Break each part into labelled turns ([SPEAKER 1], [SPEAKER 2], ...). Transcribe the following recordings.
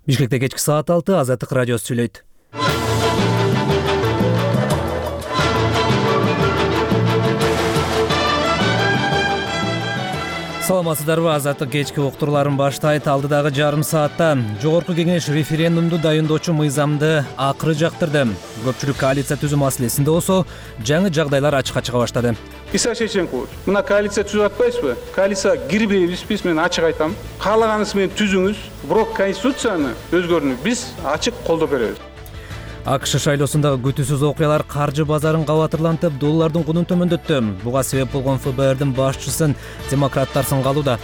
[SPEAKER 1] Бишкекте кечки саат 6 Азаттык радиосу сүйлөйт. Саламатсыздарбы? Азаттык кечки уктурларын баштайт. Алдыдагы жарым саатта Жогорку Кеңеш референдумду дайындоочу мыйзамды акыры жактырды. Көпчүлүк коалиция түзүү маселесинде болсо жаңы жагдайлар ачыкка чыга баштады.
[SPEAKER 2] Иса Шевченкович, мына коалиция түзүп атпайсызбы? Коалиция кирбейбиз, мен ачык айтам. Каалаганыңыз менен түзүңүз, бирок конституцияны өзгөртүүнү биз ачык колдоп беребиз.
[SPEAKER 1] АКШ шайлоосундагы күтүүсүз окуялар каржы базарын кабатырлантып, доллардын кунун төмөндөттү. Буга себеп болгон ФБРдин башчысын демократтар сынга алууда.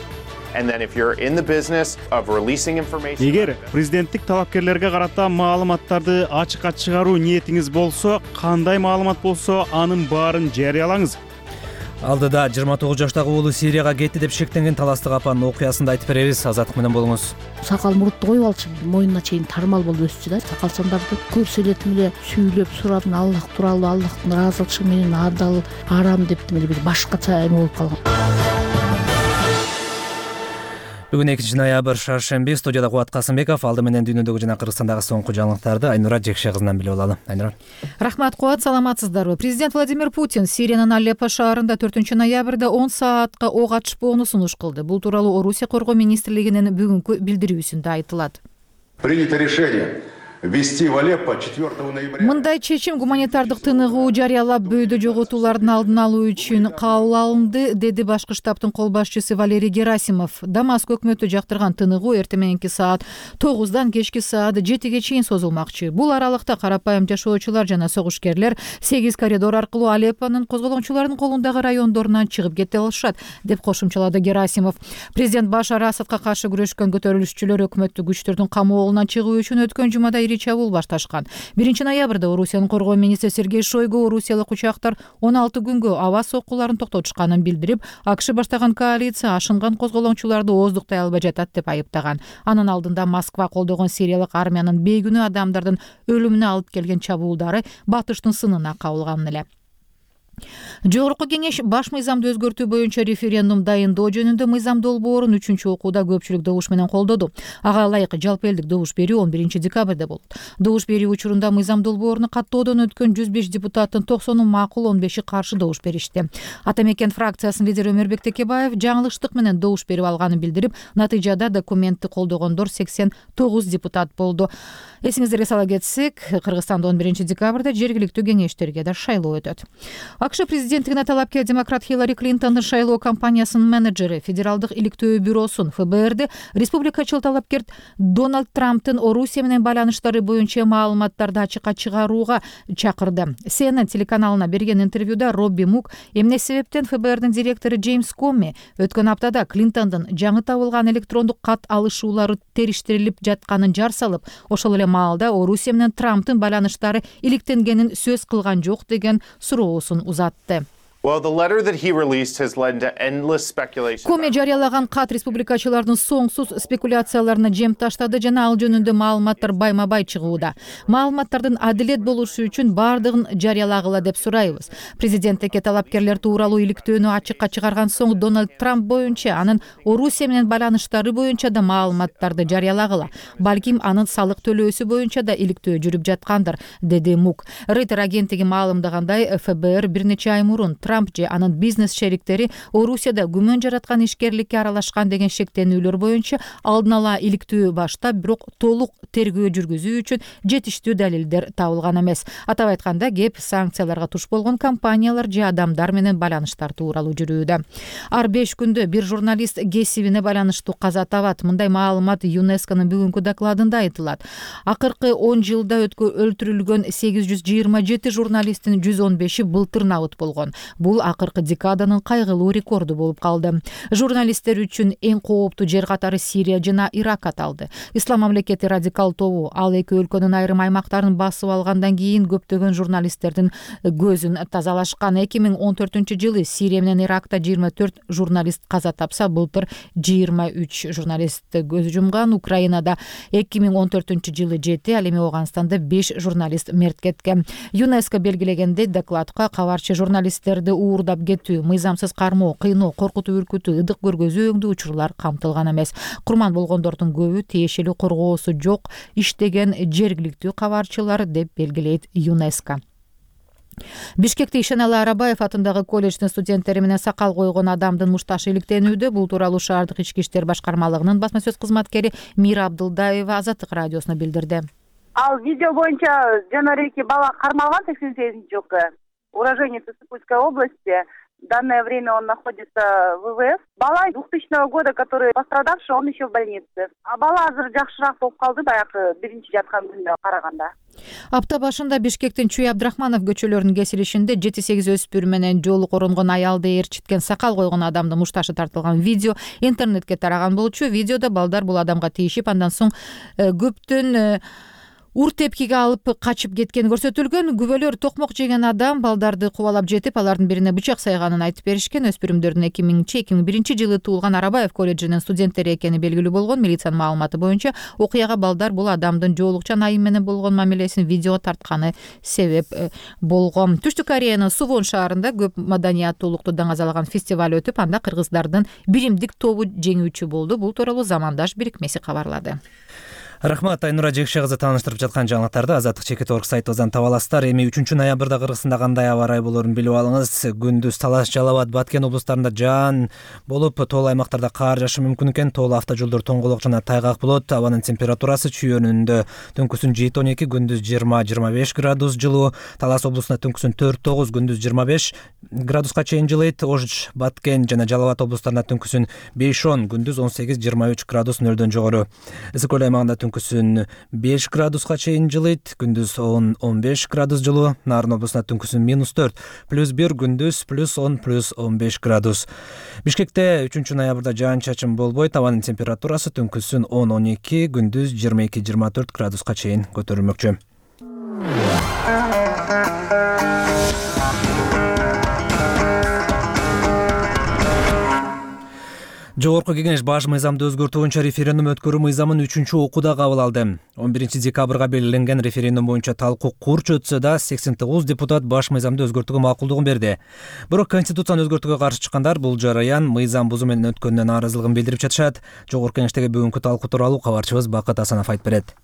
[SPEAKER 3] Эгер президенттик талапкерлерге карата маалыматтарды ачыкка чыгаруу ниетиңиз болсо, кандай маалымат болсо, анын баарын жарыялаңыз.
[SPEAKER 1] Алдыда 29 жаштагы уулу Сирияга кетти деп шектенген таластык апанын окуясын айтып беребиз. Азаттык менен болуңуз.
[SPEAKER 4] Сакал мурутты коюп алчу, мойнуна чейин тармал болуп өссү да. Сакалчандарды көрсөлөтүп эле сүйлөп сурап, Аллах тууралуу, Аллахтын ыраазычылыгы менен адал, арам деп бир башкача эме болуп калган.
[SPEAKER 1] Бүгүн 2 ноябрь шаршемби. Студияда Кубат Касымбеков. Алды менен дүйнөдөгү жана Кыргызстандагы соңку жаңылыктарды Айнура Жекше кызынан билип алалы. Айнура.
[SPEAKER 5] Рахмат, Кубат. Саламатсыздарбы? Президент Владимир Путин Сириянын Алеппо шаарында 4 ноябрда 10 саатка ок ачпоону сунуш кылды. Бул тууралуу Орусия коргоо министрлигинин бүгүнкү билдирүүсүндө айтылат.
[SPEAKER 6] Принято решение ввести в Алеппо 4 ноября.
[SPEAKER 5] Мындай чечим гуманитардык тыныгуу жарыялап бөөдө жоготуулардын алдын алуу үчүн кабыл алынды, деди башкы штабтын кол башчысы Валерий Герасимов. Дамаск өкмөтү жактырган тыныгуу эртең мененки саат 9-дан кечки саат 7ге чейин созулмакчы. Бул аралыкта карапайым жашоочулар жана согушкерлер 8 коридор аркылуу Алеппонун козголоңчулардын колундагы райондорунан чыгып кете алышат, деп кошумчалады Герасимов. Президент Башар Асадка каршы күрөшкөн көтөрүлүшчүлөр өкмөттүк күчтөрдүн камоолунан чыгуу үчүн өткөн жумада чабуул башташкан. 1 ноябрда Орусиянын коргоо министри Сергей Шойгу орусиялык учактар 16 күнгө аба соккуларын токтотушканын билдирип, АКШ баштаган коалиция ашынган козголоңчуларды ооздуктай албай жатат деп айыптаган. Анын алдында Москва колдогон сириялык армиянын бейгүнөө адамдардын өлүмүнө алып келген чабуулдары батыштын сынына кабылган эле. Жогорку Кеңеш баш мыйзамды өзгөртүү боюнча референдум дайындоо жөнүндө мыйзам долбоорун 3-окууда көпчүлүк добуш менен колдоду. Ага ылайык жалпы элдик добуш берүү 11 декабрда болот. Добуш берүү учурунда мыйзам долбоорун каттоодон өткөн 105 депутаттын 90-ы макул, 15-и каршы добуш беришти. Ата Мекен фракциясынын лидери Өмөрбек Текебаев жаңылыштык менен добуш берип алганын билдирип, натыйжада документти колдогондор 89 депутат болду. Эсиңиздерге сала кетсек, Кыргызстанда 11 декабрда жергиликтүү кеңештерге да шайлоо өтөт. АКШ президенттигине талапкер демократ Хиллари Клинтондун шайлоо кампаниясынын менеджери Федералдык иликтөө бюросун ФБРди республикачыл талапкер Дональд Трамптын Орусия менен байланыштары боюнча маалыматтарды ачыкка чыгарууга чакырды. CNN телеканалына берген интервьюда Робби Мук эмне себептен ФБРдин директору Джеймс Коми өткөн аптада Клинтондун жаңы табылган электрондук кат алышуулары териштирилип жатканын жар салып, ошол эле маалда Орусия менен Трамптын байланыштары иликтенгенин сөз кылган жок деген суроосун узатты. Коми жарыялаган кат республикачылардын соңсуз спекуляцияларына жем таштады жана ал жөнүндө маалыматтар байма-бай чыгууда. Маалыматтардын адилет болушу үчүн бардыгын жарыялагыла деп сурайбыз. Президенттикке талапкерлер тууралуу иликтөөнү ачыкка чыгарган соң Дональд Трамп боюнча, анын Орусия менен байланыштары боюнча да маалыматтарды жарыялагыла. Балким анын салык төлөөсү боюнча да иликтөө жүрүп жаткандыр, деди Мук. Рейтер агенттиги маалымдагандай, ФБР бир нече ай мурун Трамп же анын бизнес шериктери Орусияда күмөн жараткан ишкерликке аралашкан деген шектенүүлөр боюнча алдын ала иликтөө баштап, бирок толук тергөө жүргүзүү үчүн жетиштүү далилдер табылган эмес. Атап айтканда, кеп санкцияларга туш болгон компаниялар же адамдар менен байланыштар тууралуу жүрүүдө. Ар 5 күндө бир журналист кесибине байланыштуу каза табат. Мындай маалымат ЮНЕСКОнун бүгүнкү докладында айтылат. Акыркы 10 жылда өлтүрүлгөн 827 журналисттин 115-и былтыр набыт болгон. Бул акыркы декаданын кайгылуу рекорду болуп калды. Журналисттер үчүн эң кооптуу жер катары Сирия жана Ирак аталды. Ислам мамлекети радикал тобу ал эки өлкөнүн айрым аймактарын басып алгандан кийин көптөгөн журналисттердин көзүн тазалашкан. 2014-жылы Сирия менен Иракта 24 журналист каза тапса, былтыр 23 журналист көз жумган. Украинада 2014-жылы 7, ал эми Ооганстанда 5 журналист мерт кеткен. ЮНЕСКО белгилегендей, докладка кабарчы журналисттерди депутаттарды уурдап кетүү, мыйзамсыз кармоо, кыйноо, коркутуу, үркүтүү, ыдык көргөзүү өңдүү учурлар камтылган эмес. Курман болгондордун көбү тиешелүү коргоосу жок иштеген жергиликтүү кабарчылар деп белгилейт ЮНЕСКО. Бишкекте Ишеналы Арабаев атындагы колледждин студенттери менен сакал койгон адамдын мушташы иликтенүүдө. Бул тууралуу шаардык ички иштер башкармалыгынын басма сөз кызматкери Мира Абдылдаева Азаттык радиосуна билдирди.
[SPEAKER 7] Ал видео боюнча жанареки бала кармалган 88 жылкы уроженец Сыктывкарской области. В данное время он находится в ВВС. Бала 2000 года, который пострадавший, он еще в больнице. А бала азыр жакшыраак болуп калды, баягы биринчи жаткан күндө караганда.
[SPEAKER 5] Апта башында Бишкектин Чүй Абдрахманов көчөлөрүнүн кесилишинде 7-8 өспүрүм менен жолу коронгон аялды ээрчиткен сакал койгон адамдын мушташы тартылган видео интернетке тараган болчу. Видеодо балдар бул адамга тийишип, андан соң көптүн ур тепкиге алып качып кеткени көрсөтүлгөн. Күбөлөр токмок жеген адам балдарды кубалап жетип, алардын бирине бычак сайганын айтып беришкен. Өспүрүмдөрдүн 2000-2001 жылы туулган Арабаев колледжинин студенттери экени белгилүү болгон. Милициянын маалыматы боюнча окуяга балдар бул адамдын жоолукча айым менен болгон мамилесин видеого тартканы себеп болгон. Түштүк Кореянын Сувон шаарында көп маданияттуулукту даңазалаган фестиваль өтүп, анда кыргыздардын биримдик тобу жеңүүчү болду. Бул тууралуу Замандаш биримеси кабарлады.
[SPEAKER 1] Рахмат, Айнура Жекше кызы тааныштырып жаткан жаңылыктарды Азаттык Чекит.org сайтыбыздан таба аласыздар. Эми 3-ноябрда Кыргызстанда кандай аба ырайы болоорун билип алыңыз. Күндүз Талаш, Жалал Абад, Баткен облустарында жаан болуп, тоол аймактарда каар жаашы мүмкүн экен. Тоол автожолдор тоңголок жана тайгак болот. Абанын температурасы чүйөнүндө түнкүсүн 7-12, күндүз 20-25 градус жылуу. Талас облусунда түнкүсүн 4-9, күндүз 25 градуска чейин жылыйт. Ош, Баткен жана Жалал Абад облустарында түнкүсүн 5-10, күндүз 18-23 градус нөлдөн жогору. Ысык көл аймагында түнкүсүн 5 градуска чейин жылыйт, күндүз 10-15 градус жылуу. Нарын облусунда түнкүсүн -4, +1, күндүз +10, +15 градус. Бишкекте 3-ноябрда жаан-чачын болбойт. Абанын температурасы түнкүсүн 10-12, күндүз 22-24 градуска чейин көтөрүлмөкчү. Жогорку Кеңеш баш мыйзамды өзгөртүү боюнча референдум өткөрүү мыйзамын 3-окууда кабыл алды. 11 декабрга белгиленген референдум боюнча талкуу курч өтсө да 89 депутат баш мыйзамды өзгөртүүгө макулдугун берди. Бирок Конституцияны өзгөртүүгө каршы чыккандар бул жараян мыйзам бузуу менен өткөнүнө нааразылыгын билдирип жатышат. Жогорку Кеңештеги бүгүнкү талкуу тууралуу кабарчыбыз Бакыт Асанов айтып берет.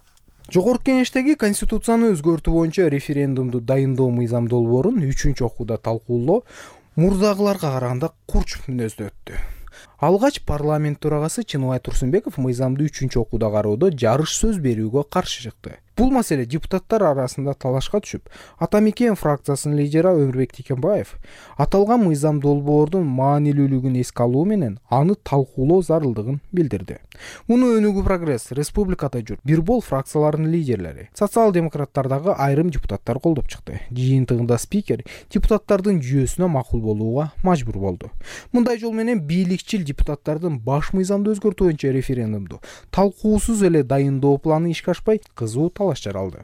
[SPEAKER 8] Жогорку Кеңештеги Конституцияны өзгөртүү боюнча референдумду дайындоо мыйзам долбоорун 3-окууда талкуулоо мурдагыларга караганда курч мүнөздө өттү. Алгач парламент төрагасы Чыныбай Турсунбеков мыйзамды 3-окууда кароодо жарыш сөз берүүгө каршы чыкты. Бул маселе депутаттар арасында талашка түшүп, Ата Мекен фракциясынын лидери Өмүрбек Текенбаев аталган мыйзам долбоордун маанилүүлүгүн эске алуу менен аны талкуулоо зарылдыгын билдирди. Муну Өнүгүү Прогресс, Республикада жүр бир бол фракцияларынын лидерлери, социал-демократтардагы айрым депутаттар колдоп чыкты. Жыйынтыгында спикер депутаттардын жүйөсүнө макул болууга мажбур болду. Мындай жол менен бийликчил депутаттардын баш мыйзамды өзгөртүү боюнча референдумду талкуусуз эле дайындоо планы ишке ашпай кызуу талаш жаралды.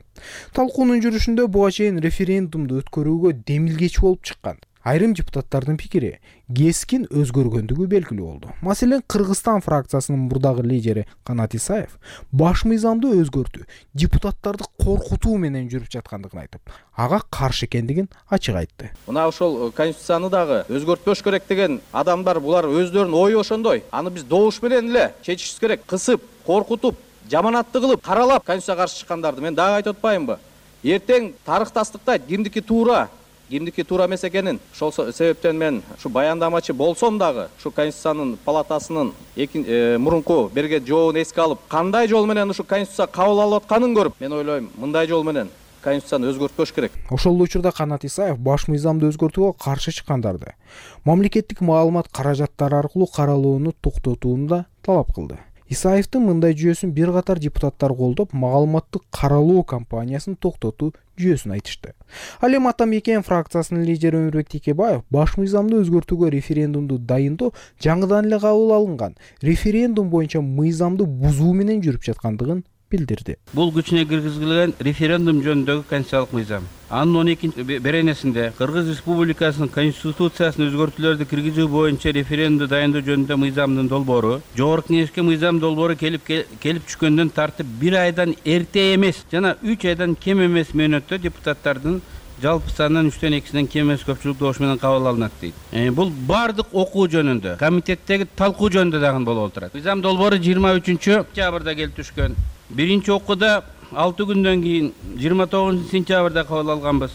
[SPEAKER 8] Талкуунун жүрүшүндө буга чейин референдумду өткөрүүгө демилгечи болуп чыккан айрым депутаттардын пикири кескин өзгөргөндүгү белгилүү болду. Маселен, Кыргызстан фракциясынын мурдагы лидери Канат Исаев баш мыйзамды өзгөртүү депутаттарды коркутуу менен жүрүп жаткандыгын айтып, ага каршы экендигин ачык айтты.
[SPEAKER 9] Мына ошол Конституцияны дагы өзгөртпөш керек деген адамдар булар өздөрүнүн ою ошондой. Аны биз добуш менен эле чечишибиз керек. Кысып, коркутуп, жаманатты кылып, каралап Конституцияга каршы чыккандарды мен дагы айтып атпайынбы? Эртең тарых тастыктайт, кимдики туура эмес экенин. Ошол себептен мен ушу баяндамачы болсом дагы ушу Конституциянын палатасынын мурунку берген жообун эске алып, кандай жол менен ушу Конституция кабыл алып атканын көрүп, мен ойлойм, мындай жол менен Конституцияны өзгөртпөш керек.
[SPEAKER 8] Ошол учурда Канат Исаев баш мыйзамды өзгөртүүгө каршы чыккандарды мамлекеттик маалымат каражаттары аркылуу каралууну токтотууну да талап кылды. Исаевдин мындай жүйөсүн бир катар депутаттар колдоп, маалыматтык каралоо кампаниясын токтотуу жүйөсүн айтышты. Ал эми Ата Мекен фракциясынын лидери Өмүрбек Текенбаев баш мыйзамды өзгөртүүгө референдумду дайындоо жаңыдан эле кабыл алынган референдум боюнча мыйзамды бузуу менен жүрүп жаткандыгын билдирди.
[SPEAKER 10] Бул күчүнө киргизилген референдум жөнүндөгү конституциялык мыйзам. Анын 12 беренесинде Кыргыз Республикасынын конституциясына өзгөртүүлөрдү киргизүү боюнча референдумду дайындоо жөнүндө мыйзамдын долбоору Жогорку Кеңешке мыйзам долбоору келип түшкөндөн тартып 1 айдан эрте эмес жана 3 айдан кем эмес мөөнөттө депутаттардын жалпы санын 3/2 кем эмес көпчүлүк добуш менен кабыл алынат дейт. Бул бардык окуу жөнүндө, комитеттеги талкуу жөнүндө дагы болуп отурат. Мыйзам долбоору 23-октябрда келип түшкөн. Биринчи окууда 6 күндөн кийин 29-сентябрда кабыл алганбыз.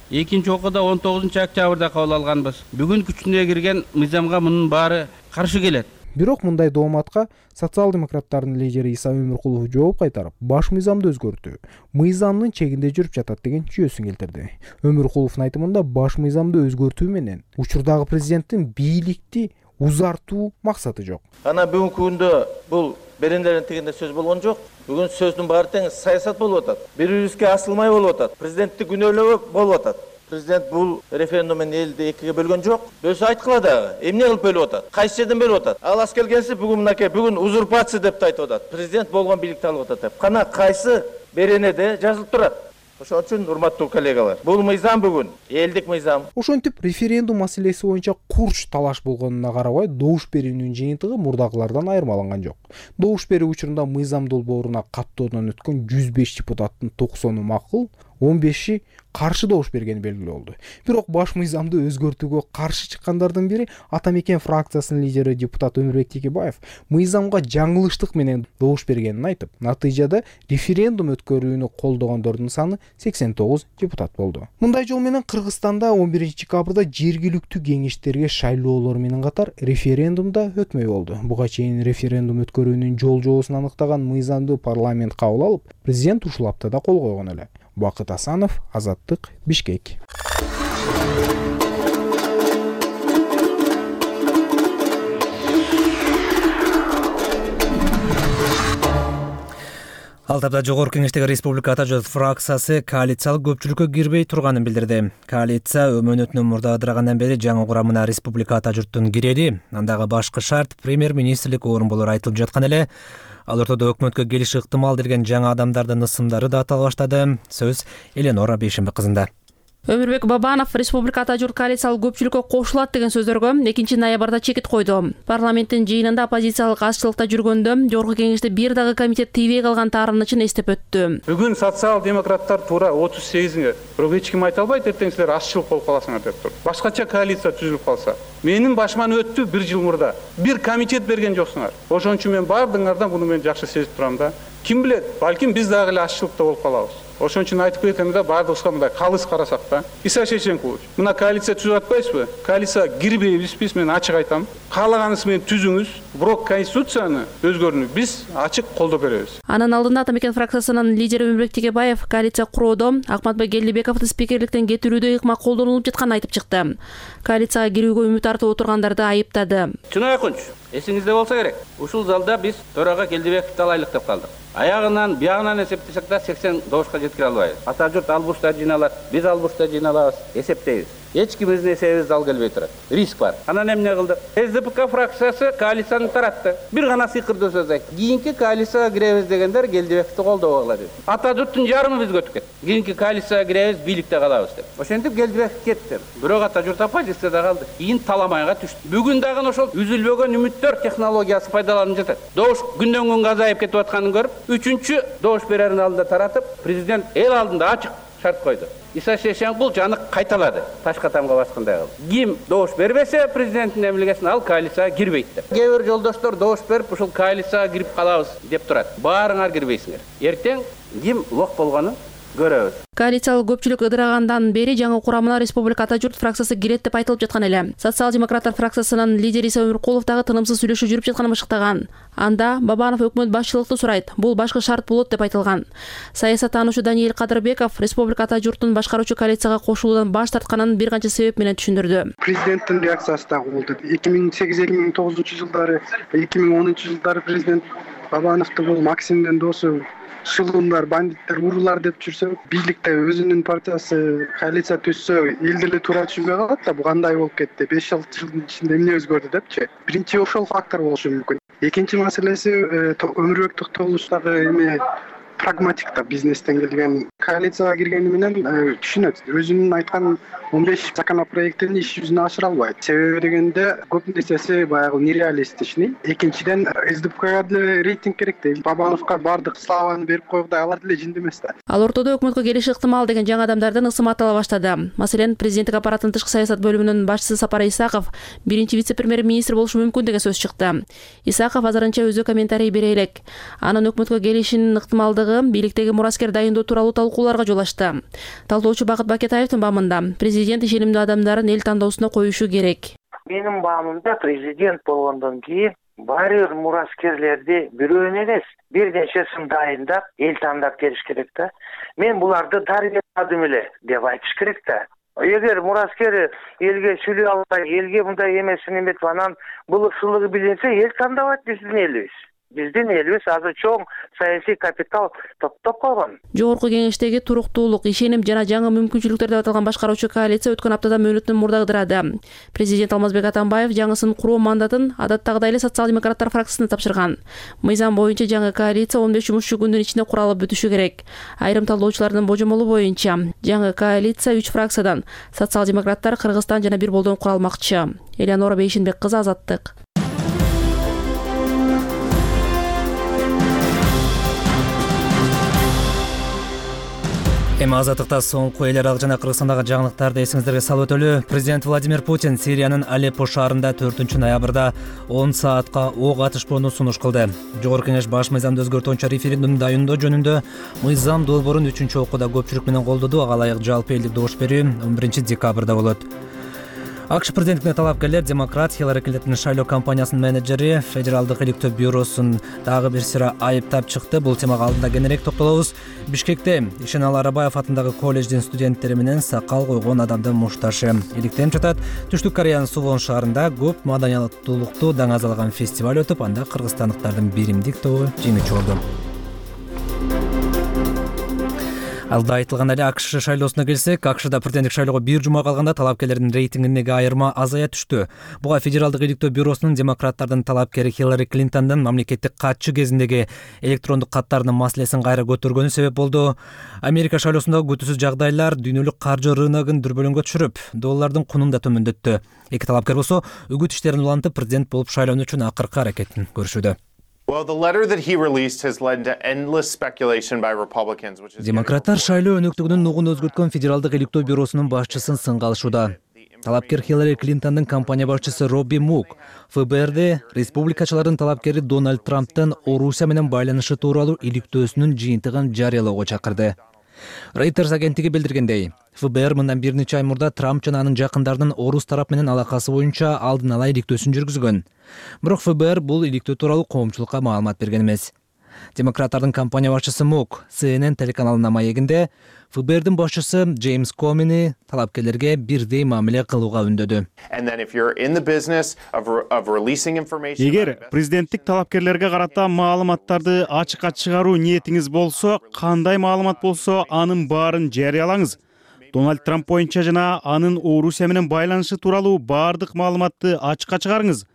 [SPEAKER 10] Экинчи окууда 19-октябрда кабыл алганбыз. Бүгүн күчүнө кирген мыйзамга мунун баары каршы келет.
[SPEAKER 8] Бирок мындай дооматка социал-демократтардын лидери Иса Өмүркулов жооп кайтарып, баш мыйзамды өзгөртүү мыйзамдын чегинде жүрүп жатат деген жүйөсүн келтирди. Өмүркуловдун айтымында баш мыйзамды өзгөртүү менен учурдагы президенттин бийликти узартуу максаты жок.
[SPEAKER 11] Ана бүгүнкү күндө бул берендердин тигинде сөз болгон жок. Бүгүн сөздүн баары тең саясат болуп атат. Бири-бирибизге асылмай болуп атат. Президентти күнөөлөө болуп атат. Президент бул референдум менен элди экиге бөлгөн жок. Бөлсө айткыла дагы. Эмне кылып бөлүп атат? Кайсы жерден бөлүп атат? Ал ас келгенси бүгүн мынакей бүгүн узурпация деп айтып атат. Президент болгон бийликти алып атат деп. Кана кайсы беренеде жазылып турат? Ошон үчүн урматтуу коллегалар, бул мыйзам бүгүн элдик мыйзам.
[SPEAKER 8] Ошентип референдум маселеси боюнча курч талаш болгонуна карабай, добуш берүүнүн жыйынтыгы мурдагылардан айырмаланган жок. Добуш берүү учурунда мыйзам долбооруна каттоодон өткөн 105 депутаттын 90-ы макул, 15-и каршы добуш бергени белгилүү болду. Бирок баш мыйзамды өзгөртүүгө каршы чыккандардын бири Ата Мекен фракциясынын лидери депутат Өмүрбек Текебаев мыйзамга жаңылыштык менен добуш бергенин айтып, натыйжада референдум өткөрүүнү колдогондордун саны 89 депутат болду. Мындай жол менен Кыргызстанда 11-декабрда жергиликтүү кеңештерге шайлоолор менен катар референдум да өтмөй болду. Буга чейин референдум өткөрүүнүн жол-жобосун аныктаган мыйзамды парламент кабыл алып, президент ушул аптада кол койгон эле. Бакыт Асанов, Азаттык, Бишкек.
[SPEAKER 1] Ал тапта жогорку кеңештеги Республика Ата жол фракциясы коалициялык көпчүлүккө кирбей турганын билдирди. Коалиция өмөнөтүнөн мурда ыдырагандан бери жаңы курамына Республика Ата журттун кирери, андагы башкы шарт премьер-министрлик орун болору айтылып жаткан эле. Ал ортодо өкмөткө келиш ыктымал деген жаңы адамдардын ысымдары да атала баштады. Сөз Эленора Бейшембек кызында.
[SPEAKER 12] Өмүрбек Бабанов Республика Ата журт коалициялык көпчүлүккө кошулат деген сөздөргө 2-ноябрда чекит койду. Парламенттин жыйынында оппозициялык азчылыкта жүргөндө жогорку кеңеште бир дагы комитет тийбей калган таарынычын эстеп өттү.
[SPEAKER 2] Бүгүн социал-демократтар туура 38-ге, бирок эч ким айта албайт, эртең силер азчылык болуп каласыңар деп туруп. Башкача коалиция түзүлүп калса, менин башыман өттү 1 жыл мурда. Бир комитет берген жоксуңар. Ошон үчүн мен бардыңардан буну мен жакшы сезип турам да. Ким билет, балким биз дагы эле азчылыкта болуп калабыз. Ошон үчүн айтып кетем да, бардыгыбызга мындай калыс карасак да. Иса Шейшенкович, мына коалиция түзүп атпайсызбы? Коалицияга кирбейбизби? Мен ачык айтам. Каалаганыңыз менен түзүңүз, бирок конституцияны өзгөрүүнү биз ачык колдоп беребиз.
[SPEAKER 12] Анын алдында Ата Мекен фракциясынын лидери Өмүрбек Текебаев коалиция куроодо Акматбек Келдибековду спикерликтен кетирүүдө ыкма колдонулуп жатканын айтып чыкты. Коалицияга кирүүгө үмүт артып отургандарды айыптады.
[SPEAKER 10] Чынай Акунч, эсиңизде болсо керек. Ушул залда биз төрага Келдибековду алайлык деп калдык. Аягынан, биягынан эсептесек да 80 добушка жеткире албайбыз. Ата журт ал бурчта жыйналат, биз ал бурчта жыйналабыз, эсептейбиз. Эч кимиздин эсебибиз дал келбей турат. Риск бар. Анан эмне кылдык? СДПК фракциясы коалицияны таратты. Бир гана сыйкырдуу сөз айтты. Кийинки коалицияга киребиз дегендер Келдибековду колдобогула деп. Ата журттун жарымы бизге өтүп кетти. Кийинки коалицияга киребиз, бийликте калабыз деп. Ошентип Келдибеков кетти. Бирок Ата журт оппозицияда калды. Кийин таламайга түштү. Бүгүн дагы ошол үзүлбөгөн үмүттөр технологиясы пайдаланып жатат. Добуш күндөн күнгө азайып кетип атканын көрүп, 3-чү добуш берердин алдында таратып, президент эл алдында ачык шарт койду. Иса Шейшенкул жаны кайталады. Ташка тамга баскандай кылды. Ким добуш бербесе президенттин эмилгесин ал коалицияга кирбейт деп. Кээ бир жолдоштор добуш берип, ушул коалицияга кирип калабыз деп турат. Баарыңар кирбейсиңер. Эртең ким лох болгонун көрөбүз.
[SPEAKER 12] Коалициялык көпчүлүк ыдырагандан бери жаңы курамына Республика Ата журт фракциясы кирет деп айтылып жаткан эле. Социал-демократтар фракциясынын лидери Иса Өмүркулов дагы тынымсыз сүйлөшүү жүрүп жатканын ышыктаган. Анда Бабанов өкмөт башчылыкты сурайт. Бул башкы шарт болот деп айтылган. Саясаттануучу Даниил Кадырбеков Республика Ата журттун башкаруучу коалицияга кошулуудан баш тартканын бир канча себеп менен түшүндүрдү.
[SPEAKER 13] Президенттин реакциясы дагы болду. 2008-2009 жылдары, 2010 жылдары президент Бабановду бул Максимдин досу шылуундар, бандиттер, уруулар деп жүрсө, бийликте өзүнүн партиясы коалиция түзсө, эл деле туура түшүнбөй калат да, бу кандай болуп кетти, 5-6 жылдын ичинде эмне өзгөрдү депчи. Биринчи ошол фактор болушу мүмкүн. Экинчи маселеси Өмүрбек Токтогулович дагы эме прагматик да, бизнестен келген коалицияга киргени менен түшүнөт. Өзүнүн айткан 15 законопроектин иш жүзүнө ашыра албайт. Себеби дегенде көп нерсеси баягы нереалистичный. Экинчиден СДПКга деле рейтинг керек да. Бабановго баардык славаны берип койгудай алар деле жинди эмес да.
[SPEAKER 12] Ал ортодо өкмөткө келиши ыктымал деген жаңы адамдардын ысымы атала баштады. Маселен, президенттик аппараттын тышкы саясат бөлүмүнүн башчысы Сапар Исаков биринчи вице-премьер-министр болушу мүмкүн деген сөз чыкты. Исаков азырынча өзү комментарий бере элек. Анын өкмөткө келишинин ыктымалдыгы бийликтеги мураскер дайындоо тууралуу талкууларга жол ачты. Талкуучу Бакыт Бакетаевдин баамында президент ишенимдүү адамдарын эл тандоосуна коюшу керек.
[SPEAKER 14] Менин баамымда президент болгондон кийин баары бир мураскерлерди бирөөнү эмес, бир нечесин дайындап, эл тандап келиш керек да. Мен буларды дарыгердим эле деп айтыш керек да. Эгер мураскер элге сүйлөй албай, элге мындай эмесин эметип, анан бул ысылыгы билинсе, эл тандабайт биздин элибиз. Биздин элибиз азыр чоң саясий капитал топтоп калган.
[SPEAKER 12] Жогорку кеңештеги туруктуулук, ишеним жана жаңы мүмкүнчүлүктөр деп аталган башкаруучу коалиция өткөн аптада мөөнөтүн мурдагдырады. Президент Алмазбек Атамбаев жаңысын куруу мандатын адаттагыдай эле социал-демократтар фракциясына тапшырган. Мыйзам боюнча жаңы коалиция 15 жумушчу күндүн ичинде куралып бүтүшү керек. Айрым талдоочулардын божомолу боюнча жаңы коалиция 3 фракциядан социал-демократтар, Кыргызстан жана бир болдон куралмакчы. Элеонора Бейшинбек кызы, Азаттык.
[SPEAKER 1] Эми азаттыкта соңку эл аралык жана Кыргызстандагы жаңылыктарды эсиңиздерге салып өтөлү. Президент Владимир Путин Сириянын Алеппо шаарында 4-ноябрда 10 саатка ок атышпоону сунуш кылды. Жогорку кеңеш баш мыйзамды өзгөртүүчү референдум дайындоо жөнүндө мыйзам долбоорун 3-окууда көпчүлүк менен колдоду. Ага ылайык жалпы элдик добуш берүү 11-декабрда болот. АКШ президенттигине талапкерлер демократ Хиллари Клинтондун шайлоо кампаниясынын менеджери Федералдык иликтөө бюросун дагы бир сыйра айыптап чыкты. Бул темага алдында кененирээк токтолобуз. Бишкекте Ишенал Арабаев атындагы колледждин студенттери менен сакал койгон адамдын мушташы иликтенип жатат. Түштүк Кореянын Сувон шаарында көп маданиятуулукту даңазалаган фестиваль өтүп, анда кыргызстандыктардын биримдик тобу жеңүүчү болду. Алда айтылган эле АКШ шайлоосуна келсек, АКШда президенттик шайлоого бир жума калганда талапкерлердин рейтингиндеги айырма азая түштү. Буга Федералдык иликтөө бюросунун демократтардын талапкери Хиллари Клинтондун мамлекеттик катчы кезиндеги электрондук каттарынын маселесин кайра көтөргөнү себеп болду. Америка шайлоосундагы күтүүсүз жагдайлар дүйнөлүк каржы рыногун дүрбөлөңгө түшүрүп, доллардын кунун да төмөндөттү. Эки талапкер болсо үгүт иштерин улантып, президент болуп шайлануу үчүн акыркы аракетин көрүшүүдө. Демократтар шайлоо өнөктүгүнүн нугун өзгөрткөн Федералдык иликтөө бюросунун башчысын сынга алышууда. Талапкер Хиллари Клинтондун компания башчысы Робби Мук ФБРди республикачылардын талапкери Дональд Трамптын Орусия менен байланышы тууралуу иликтөөсүнүн жыйынтыгын жарыялоого чакырды. Reuters агенттиги билдиргендей, ФБР мындан бир нече ай мурда Трамп жана анын жакындарынын орус тарап менен алакасы боюнча алдын ала иликтөөсүн жүргүзгөн. Бирок ФБР бул иликтөө тууралуу коомчулукка маалымат берген эмес. Демократтардын компания башчысы Мук CNN телеканалынын маегинде ФБРдин башчысы Джеймс Комини талапкерлерге бирдей мамиле кылууга үндөдү.
[SPEAKER 3] Эгер президенттик талапкерлерге карата маалыматтарды ачыкка чыгаруу ниетиңиз болсо, кандай маалымат болсо, анын баарын жарыялаңыз. Дональд Трамп боюнча жана анын Орусия менен байланышы тууралуу баардык маалыматты ачыкка чыгарыңыз.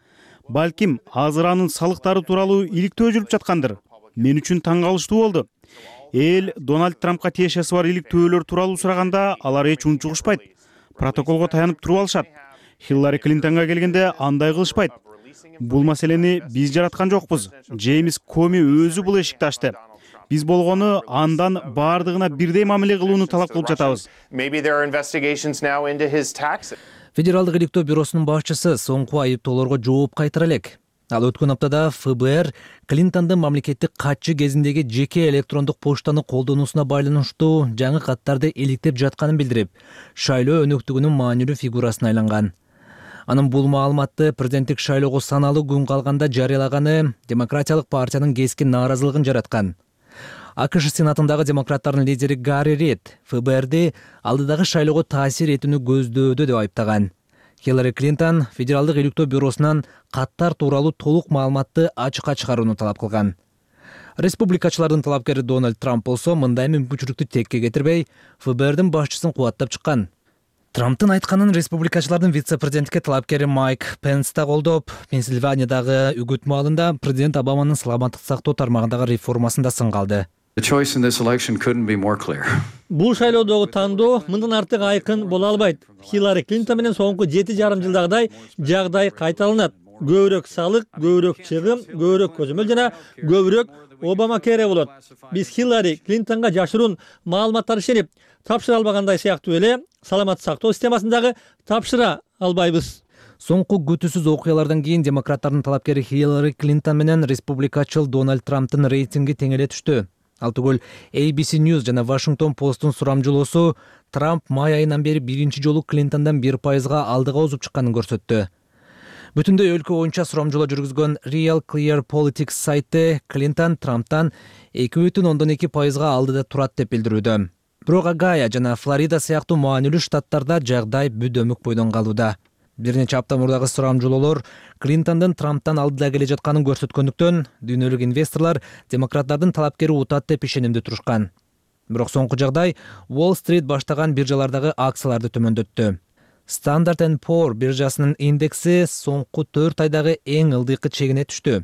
[SPEAKER 3] Балким азыр анын салыктары тууралуу иликтөө жүрүп жаткандыр. Мен үчүн таң калыштуу болду. Эл Дональд Трампка тиешеси бар иликтөөлөр тууралуу сураганда алар эч унчугушпайт. Протоколго таянып туруп алышат. Хиллари Клинтонго келгенде андай кылышпайт. Бул маселени биз жараткан жокпуз. Джеймс Коми өзү бул эшикти ачты. Биз болгону андан баардыгына бирдей мамиле кылууну талап кылып жатабыз.
[SPEAKER 1] Федералдык иликтөө бюросунун башчысы соңку айыптоолорго жооп кайтара элек. Ал өткөн аптада ФБР Клинтондун мамлекеттик катчы кезиндеги жеке электрондук поштаны колдонуусуна байланыштуу жаңы каттарды иликтеп жатканын билдирип, шайлоо өнөктүгүнүн маанилүү фигурасына айланган. Анын бул маалыматты президенттик шайлоого саналуу күн калганда жарыялаганы Демократиялык партиянын кескин нааразылыгын жараткан. АКШ сенатындагы демократтардын лидери Гарри Рид ФБРди алдыдагы шайлоого таасир этүүнү көздөөдө деп айыптаган. Хиллари Клинтон Федералдык иликтөө бюросунан каттар тууралуу толук маалыматты ачыкка чыгарууну талап кылган. Республикачылардын талапкери Дональд Трамп болсо мындай мүмкүнчүлүктү текке кетирбей, ФБРдин башчысын кубаттап чыккан. Трамптын айтканын республикачылардын вице-президентке талапкери Майк Пенс да колдоп, Пенсильваниядагы үгүт маалында президент Обаманын саламаттык сактоо тармагындагы реформасын да сынга алды.
[SPEAKER 15] Бул шайлоодогу тандоо мындан артык айкын боло албайт. Хиллари Клинтон менен соңку 7,5 жылдагыдай жагдай кайталанат. Көбүрөөк салык, көбүрөөк чыгым, көбүрөөк көзөмөл жана көбүрөөк Обама кере болот. Биз Хиллари Клинтонго жашыруун маалыматтар ишенип тапшыра албагандай сыяктуу эле саламаттык сактоо системасындагы тапшыра албайбыз.
[SPEAKER 1] Соңку күтүүсүз окуялардан кийин демократтардын талапкери Хиллари Клинтон менен республикачыл Дональд Трамптын рейтинги тең эле түштү. Ал түгүл ABC News жана Washington Post'ун сурамжылоосу Трамп май айынан бери биринчи жолу Клинтондан 1%га алдыга озуп чыкканын көрсөттү. Бүтүндөй өлкө боюнча сурамжылоо жүргүзгөн Real Clear Politics сайты Клинтон Трамптан 2,2%га алдыда турат деп билдирүүдө. Бирок Огайо жана Флорида сыяктуу маанилүү штаттарда жагдай бүдөмүк бойдон калууда. Бир нече апта мурдагы сурамжылоолор Клинтондун Трамптан алдыда келе жатканын көрсөткөндүктөн дүйнөлүк инвесторлор демократтардын талапкери утат деп ишенимде турушкан. Бирок соңку жагдай Wall Street баштаган биржалардагы акцияларды төмөндөттү. Standard & Poor биржасынын индекси соңку 4 айдагы эң ылдыйкы чегине түштү.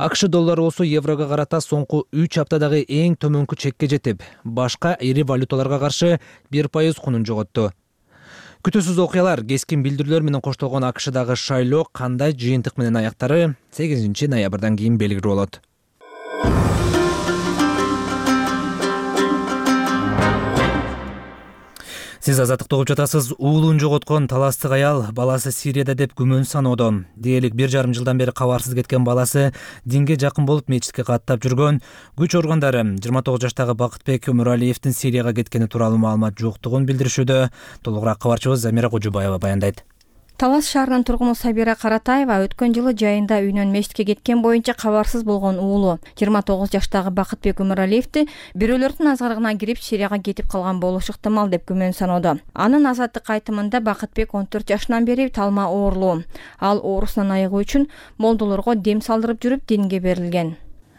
[SPEAKER 1] АКШ доллары болсо еврого карата соңку 3 аптадагы эң төмөнкү чекке жетип, башка ири валюталарга каршы 1% кунун жоготту. Күтүүсүз окуялар, кескин билдирүүлөр менен коштолгон АКШдагы шайлоо кандай жыйынтык менен аяктары 8 ноябрдан кийин белгилүү болот. Сиз азаттыкты угуп жатасыз. Уулун жоготкон таластык аял баласы Сирияда деп күмөн саноодо. Дээрлик 1,5 жылдан бери кабарсыз кеткен баласы динге жакын болуп мечитке каттап жүргөн. Күч органдары 29 жаштагы Бакытбек Өмүралиевдин Сирияга кеткени тууралуу маалымат жоктугун билдиришүүдө. Толугураак кабарчыбыз Замира Кожубаева баяндайт.
[SPEAKER 16] Талас шаарынын тургуну Сабира Каратаева өткөн жылы жайында үйүнөн мечитке кеткен боюнча кабарсыз болгон уулу 29 жаштагы Бакытбек Өмүралиевди бирөөлөрдүн азгырыгына кирип Сирияга кетип калган болушу ыктымал деп күмөн саноодо. Анын азаттык айтымында Бакытбек 14 жашынан бери талма оорулуу. Ал оорусунан айыгуу үчүн молдолорго дем салдырып жүрүп динге берилген.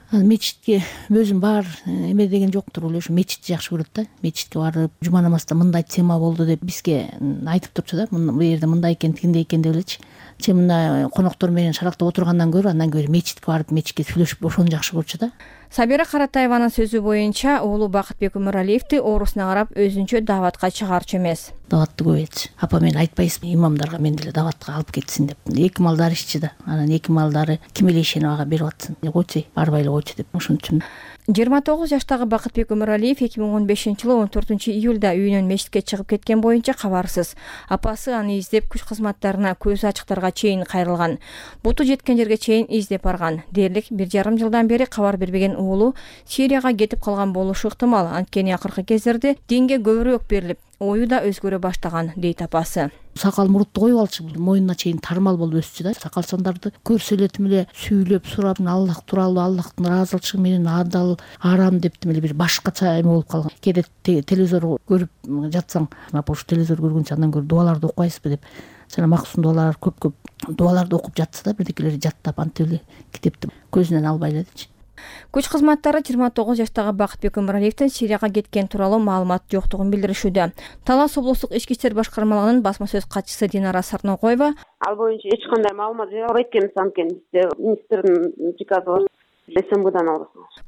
[SPEAKER 4] Мечитке өзүм бар эме деген жоктур, ошо мечитти жакшы көрөт да. Мечитке барып, жума намазда мындай тема болду деп бизге айтып турчу да. Бу жерде мындай экен, тигиндей экен деп элечи. Че мына коноктор менен шарактап отургандан көрө андан көрө мечитке барып, мечитке сүйлөшүп ошону жакшы көрчү да.
[SPEAKER 16] Сабира Каратаеванын сөзү боюнча, уулу Бакытбек Өмүралиевди оорусуна карап өзүнчө даватка чыгарчу эмес.
[SPEAKER 4] Даватты көп этчи. Апа мен айтпайсызбы имамдарга мен деле даватка алып кетсин деп. Эки малдары иччи да. Анан эки малдары ким эле ишенип ага берип атсын. Койчу, барбай эле койчу деп ошон үчүн.
[SPEAKER 16] 29 жаштагы Бакытбек Өмүралиев 2015-жылы 14-июлда үйүнөн мечитке чыгып кеткен боюнча кабарсыз. Апасы аны издеп күч кызматтарына көзү ачыктарга чейин кайрылган. Буту жеткен жерге чейин издеп барган. Дээрлик 1,5 жылдан бери кабар бербеген уулу Сирияга кетип калган болушу ыктымал. Анткени акыркы кездерде динге көбүрөөк берилип, ою да өзгөрө баштаган, дейт апасы.
[SPEAKER 4] Сакал мурутtu коюп алчу, моюнуна чейин тармал болуп өссү да. Сакалчандарды көрсө эле сүйлөп сурап, Аллах тууралуу, Аллахтын ыраазычылыгы менен адал, арам деп бир башкача эме болуп калган. Кээде телевизор көрүп жатсаң, апа ушу телевизор көргөнчө андан көрө дуаларды окуйсызбы деп. Жана максум дуалар көп дуаларды окуп жатса да, бирдекелери жаттап антип эле китепти көзүнөн албай элечи.
[SPEAKER 16] Күч кызматтары 29 жаштагы Бакытбек Өмүралиевдин Сирияга кеткен тууралуу маалымат жоктугун билдиришүүдө. Талас облустук ички иштер башкармалыгынын басма сөз катчысы Динара Сарнокоева
[SPEAKER 17] ал боюнча эч кандай маалымат бере албайт экенбиз, анткени бизде министрдин приказы бар. СМБдан аласыңыз.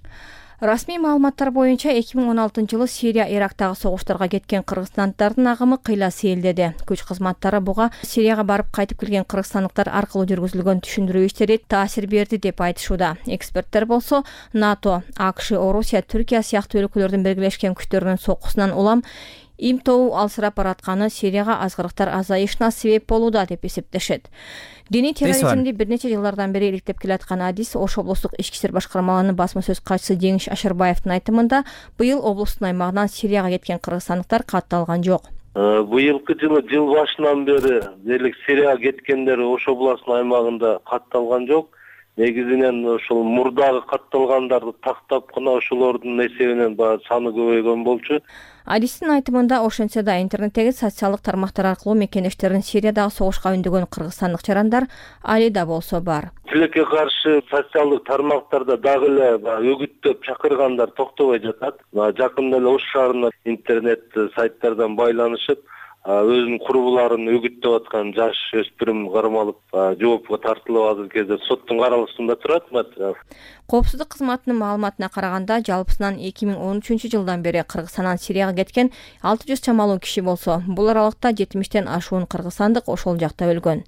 [SPEAKER 16] Расмий маалыматтар боюнча 2016-жылы Сирия Ирактагы согуштарга кеткен кыргызстандардын агымы кыйла сейилдеди. Күч кызматтары буга Сирияга барып кайтып келген кыргызстандыктар аркылуу жүргүзүлгөн түшүндүрүү иштери таасир берди деп айтышууда. Эксперттер болсо НАТО, АКШ, Орусия, Түркия сыяктуу өлкөлөрдүн биргелешкен күчтөрүнүн соккусунан улам имтоо алсырап баратканы Сирияга азгырыктар азайышына себеп болууда деп эсептешет. Диний терроризмди бир нече жылдардан бери иликтеп келаткан Адис Ош облустук ички иштер башкармалыгынын басма сөз катчысы Жеңиш Ашырбаевдин айтымында, быйыл облустун аймагынан Сирияга кеткен кыргызстандыктар катталган жок.
[SPEAKER 18] Быйылкы жылы жыл башынан бери дээрлик Сирияга кеткендер Ош областынын аймагында катталган жок. Негизинен ошол мурдагы катталгандарды тактап гана ошолордун эсебинен баягы саны көбөйгөн болчу.
[SPEAKER 16] Адистин айтымында ошентсе да интернеттеги социалдык тармактар аркылуу мекенештерин Сириядагы согушка үндөгөн кыргызстандык жарандар али да болсо бар.
[SPEAKER 18] Тилекке каршы социалдык тармактарда дагы эле өгүттөп чакыргандар токтобой жатат. Жакында эле Ош шаарына интернет сайттардан байланышып, өзүнүн курбуларын үгүттөп аткан жаш өспүрүм кармалып жоопко тартылып азыркы кезде соттун каралышында турат материал.
[SPEAKER 16] Коопсуздук кызматынын маалыматына караганда, жалпысынан 2013-жылдан бери Кыргызстандан Сирияга кеткен 600 чамалуу киши болсо, бул аралыкта 70тен ашуун кыргызстандык ошол жакта өлгөн.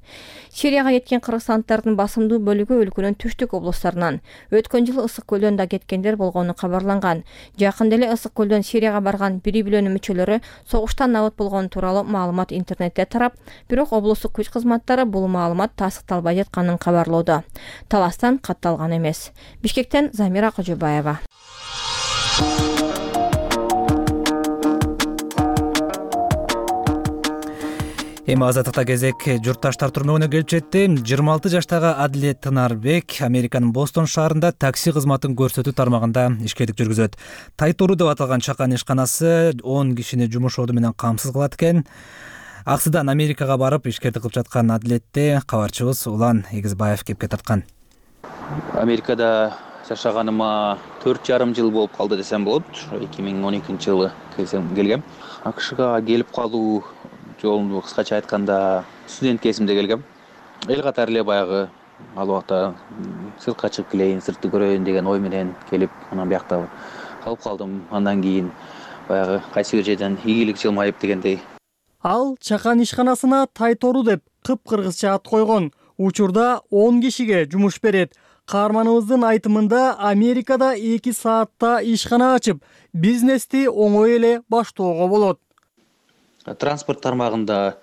[SPEAKER 16] Сирияга кеткен кыргызстандыктардын басымдуу бөлүгү өлкөнүн түштүк облусттарынан, өткөн жылы Ысык көлдөн да кеткендер болгону кабарланган. Жакында эле Ысык көлдөн Сирияга барган бири-билөнүн мүчөлөрү согуштан набыт болгону тууралуу маалымат интернетте тарап, бирок облустук күч кызматтары бул маалымат тастыкталбай жатканын кабарлоодо. Таластан катталган эмес. Бишкектен Замира Кожобаева.
[SPEAKER 1] Эми азаттыкта кезек журтташтар турмөгүнө келип жетти. 26 жаштагы Адилет Тынарбек Американын Бостон шаарында такси кызматын көрсөтүү тармагында ишкерлик жүргүзөт. Тайтору деп аталган чакан ишканасы 10 кишини жумуш орду менен камсыз кылат экен. Аксыдан Америкага барып ишкерлик кылып жаткан Адилетти кабарчыбыз Улан Эгизбаев кепке тарткан.
[SPEAKER 19] Америкада жашаганыма 4,5 жыл болуп калды десем болот. 2012-жылы келгем. АКШга келип калуу жолун кыскача айтканда студент кезимде келгем. Эл катары эле баягы ал убакта сыртка чыгып келейин, сыртты көрөйүн деген ой менен келип, анан биякта калып калдым. Андан кийин баягы кайсы бир жерден ийгилик жылмайып дегендей.
[SPEAKER 15] Ал чакан ишканасына Тайтору деп кыпкыргызча ат койгон. Учурда 10 кишиге жумуш берет. Каарманыбыздын айтымында Америкада 2 саатта ишкана ачып, бизнести оңой эле баштоого болот.
[SPEAKER 19] Транспорт тармагында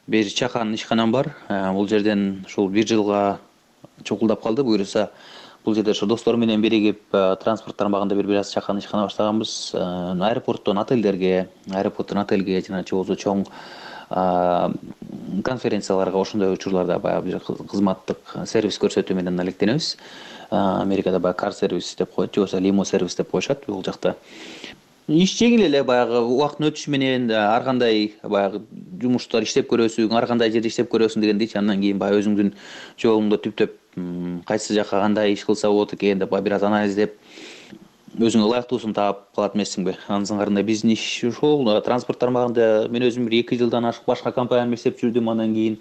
[SPEAKER 19] бир чакан ишканам бар. Бул жерден ушул 1 жылга чукулдап калды. Буюрса, бул жерде ошо достор менен биригип транспорт тармагында бир аз чакан ишкана баштаганбыз. Аэропорттон отелге жана болбосо чоң конференцияларга ошондой учурларда баягы бир кызматтык сервис көрсөтүү менен алектенебиз. Америкада баягы кар сервис деп коет, же болбосо лимо сервис деп коюшат бул жакта. Иш жеңил эле, баягы убакыттын өтүшү менен ар кандай баягы жумуштар иштеп көрөсүң, ар кандай жерде иштеп көрөсүң дегендейчи. Андан кийин баягы өзүңдүн жолуңду түптөп кайсы жака кандай иш кылса болот экен деп бир аз анализдеп өзүңө ылайыктуусун таап калат эмессиңби? Анын сыңарында биздин иш ушул транспорт тармагында мен өзүм 2 жылдан ашык башка компанияда иштеп жүрдүм. Андан кийин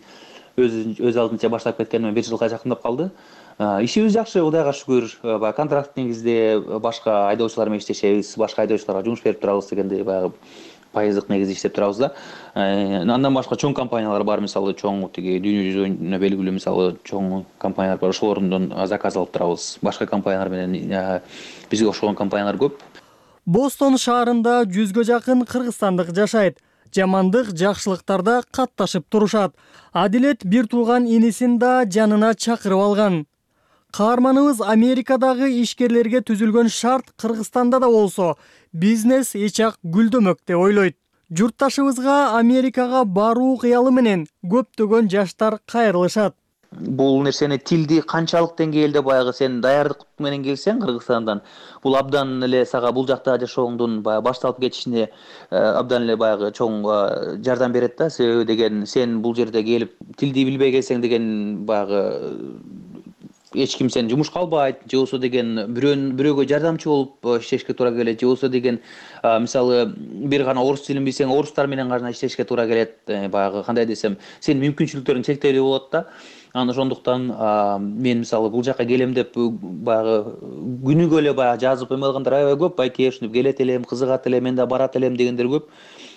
[SPEAKER 19] өз алдынча баштап кеткениме 1 жылга жакындап калды. Ишибиз жакшы, Кудайга шүгүр. Баягы контракт негизде башка айдоочулар менен иштешебиз, башка айдоочуларга жумуш берип турабыз дегендей баягы пайыздык негизде иштеп турабыз да. Андан башка чоң компаниялар бар, мисалы чоң тиги дүйнө жүзүнө белгилүү мисалы чоң компаниялар бар. Ошолордон заказ алып турабыз. Башка компаниялар менен бизге окшогон компаниялар көп.
[SPEAKER 15] Бостон шаарында 100гө жакын кыргызстандык жашайт. Жамандык, жакшылыктарда катташып турушат. Адилет бир тууган инисин да жанына чакырып алган. Каарманыбыз Америкадагы ишкерлерге түзүлгөн шарт Кыргызстанда да болсо бизнес эчак гүлдөмөк деп ойлойт. Журтташыбызга Америкага баруу кыялы менен көптөгөн жаштар кайрылышат.
[SPEAKER 19] Бул нерсени тилди канчалык деңгээлде баягы сен даярдык менен келсең Кыргызстандан, бул абдан эле сага бул жакта жашооңдун баягы башталып кетишине абдан эле баягы чоң жардам берет да. Себеби деген сен бул жерде келип тилди билбей келсең деген баягы эч ким сени жумушка албайт, же болбосо деген бирөөгө жардамчы болуп иштешке туура келет, же болбосо деген мисалы бир гана орус тилин билсең, орустар менен гана иштешке туура келет. Баягы кандай десем, сенин мүмкүнчүлүктөрүң чектелүү болот да. Анан ошондуктан мен мисалы бул жака келем деп баягы күнүгө эле баягы жазып эме кылгандар аябай көп. Байке ушинтип келет элем, кызыгат элем, мен да барат элем дегендер көп.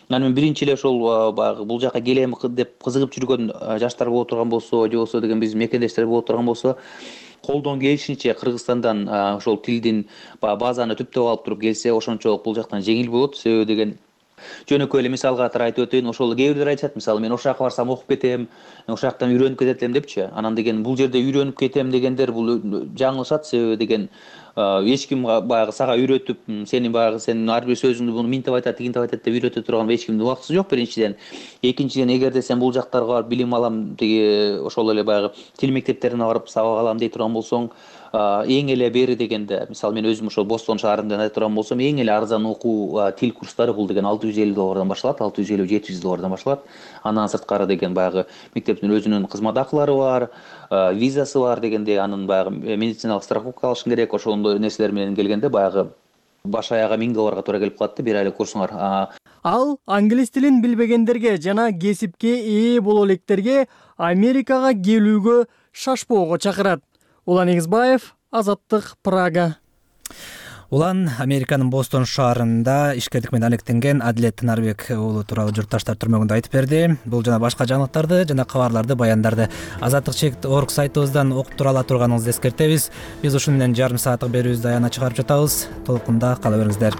[SPEAKER 19] Анан мен биринчи эле ошол баягы бул жака келем деп кызыгып жүргөн жаштар боло турган болсо, же болбосо деген биздин мекендештер боло турган болсо, колдон келишинче Кыргызстандан ошол тилдин базаны түптөп алып туруп келсе, ошончолук бул жактан жеңил болот. Себеби деген жөнөкөй эле мисал катары айтып өтөйүн. Ошол кээ бирлер айтышат, мисалы мен ошол жака барсам окуп кетем, ошол жактан үйрөнүп кетет элем депчи. Анан деген бул жерде үйрөнүп кетем дегендер бул жаңылышат. Себеби деген эч ким баягы сага үйрөтүп, сени баягы сенин ар бир сөзүңдү буну минтип айтат, тигинтип айтат деп үйрөтө турган эч кимдин убактысы жок биринчиден. Экинчиден, эгерде сен бул жактарга барып билим алам, тиги ошол эле баягы тил мектептерине барып сабак алам дей турган болсоң, эң эле бери дегенде, мисалы мен өзүм ошол Бостон шаарында айта турган болсом, эң эле арзан окуу тил курстары бул деген $650 башталат, $650-700 башталат. Андан сырткары деген баягы мектептин өзүнүн кызмат акылары бар, визасы бар дегенде, анын баягы медициналык страховка алышың керек. Ошондой нерселер менен келгенде баягы баш аяга $1000 туура келип калат да бир айлык курсуңар.
[SPEAKER 20] Ал англис тилин билбегендерге жана кесипке ээ боло электерге Америкага келүүгө шашпоого чакырат. Улан Эгизбаев, Азаттык, Прага.
[SPEAKER 1] Улан Американын Бостон шаарында ишкердик менен алектенген Адилет Нарбек уулу тууралуу журтташтар түрмөгүндө айтып берди. Бул жана башка жаңылыктарды жана кабарларды, баяндарды azatlik.org сайтыбыздан окуп тура ала турганыңызды эскертебиз. Биз ушуну менен жарым сааттык берүүбүздү аягына чыгарып жатабыз. Толкунда кала бериңиздер.